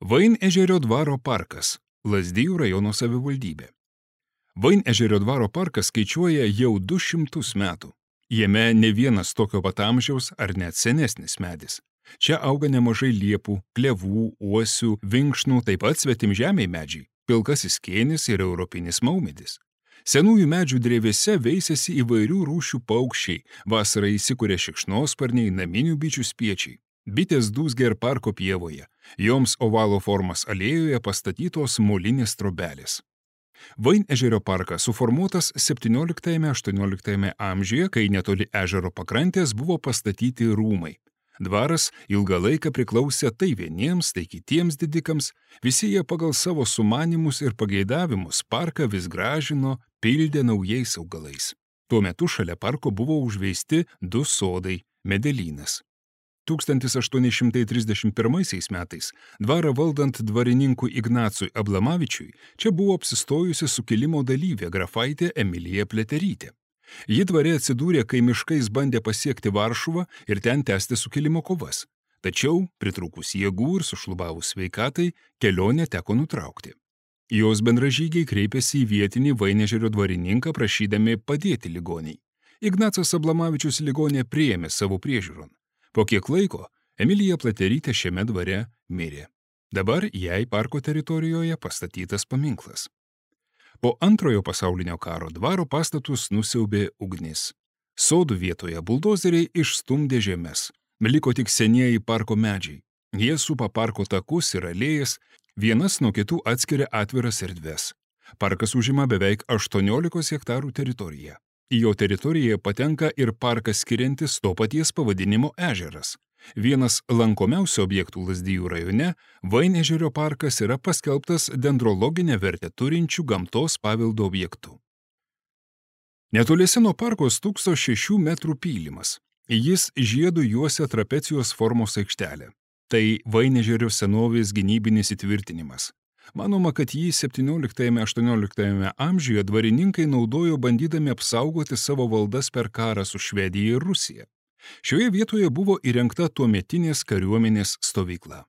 Vainežerio dvaro parkas, Lazdijų rajono savivaldybė. Vainežerio dvaro parkas skaičiuoja jau 200 metų. Jame ne vienas tokio pat amžiaus ar net senesnis medis. Čia auga nemažai liepų, klevų, uosių, vinkšnų, taip pat svetimžemiai medžiai, pilkasis kėnis ir europinis maumedis. Senųjų medžių drevėse veisiasi įvairių rūšių paukščiai, vasarą įsikuria šikšnosparniai, naminių bičių spiečiai. Bitės dūzgia ir parko pievoje, joms ovalo formos alėjoje pastatytos molinės trobelės. Vainežerio parkas suformuotas 17–18 amžiuje, kai netoli ežero pakrantės buvo pastatyti rūmai. Dvaras ilgą laiką priklausė tai vieniems, tai kitiems didikams, visi jie pagal savo sumanymus ir pageidavimus parką vis gražino, pildė naujais augalais. Tuo metu šalia parko buvo užveisti 2 sodai, medelynas. 1831 metais dvarą valdant dvarininkui Ignacui Ablamavičiui čia buvo apsistojusi sukilimo dalyvė grafaitė Emilija Pliaterytė. Ji dvare atsidūrė, kai miškais bandė pasiekti Varšuvą ir ten tęsti sukilimo kovas. Tačiau, pritrūkus jėgų ir sušlubavus sveikatai, kelionę teko nutraukti. Jos bendražygiai kreipėsi į vietinį Vainežerio dvarininką prašydami padėti ligoniai. Ignacas Ablamavičius ligonę priėmė savo priežiūron. Po kiek laiko Emilija Pliaterytė šiame dvare mirė. Dabar jai parko teritorijoje pastatytas paminklas. Po Antrojo pasaulinio karo dvaro pastatus nusiaubė ugnis. Sodų vietoje buldozeriai išstumdė žemes. Liko tik senieji parko medžiai. Jie supa parko takus ir alėjas, vienas nuo kitų atskiria atviras erdves. Parkas užima beveik 18 hektarų teritoriją. Į jo teritoriją patenka ir parkas skiriantis to paties pavadinimo ežeras. Vienas lankomiausių objektų Lazdijų rajone, Vainežerio parkas yra paskelbtas dendrologinę vertę turinčių gamtos paveldo objektų. Netoliese nuo parko stūkso 6 metrų pylimas. Jis žiedu juosia trapecijos formos aikštelę. Tai Vainežerio senovės gynybinis įtvirtinimas. Manoma, kad jį 17–18 amžiuje dvarininkai naudojo bandydami apsaugoti savo valdas per karą su Švedija ir Rusija. Šioje vietoje buvo įrengta tuometinės kariuomenės stovykla.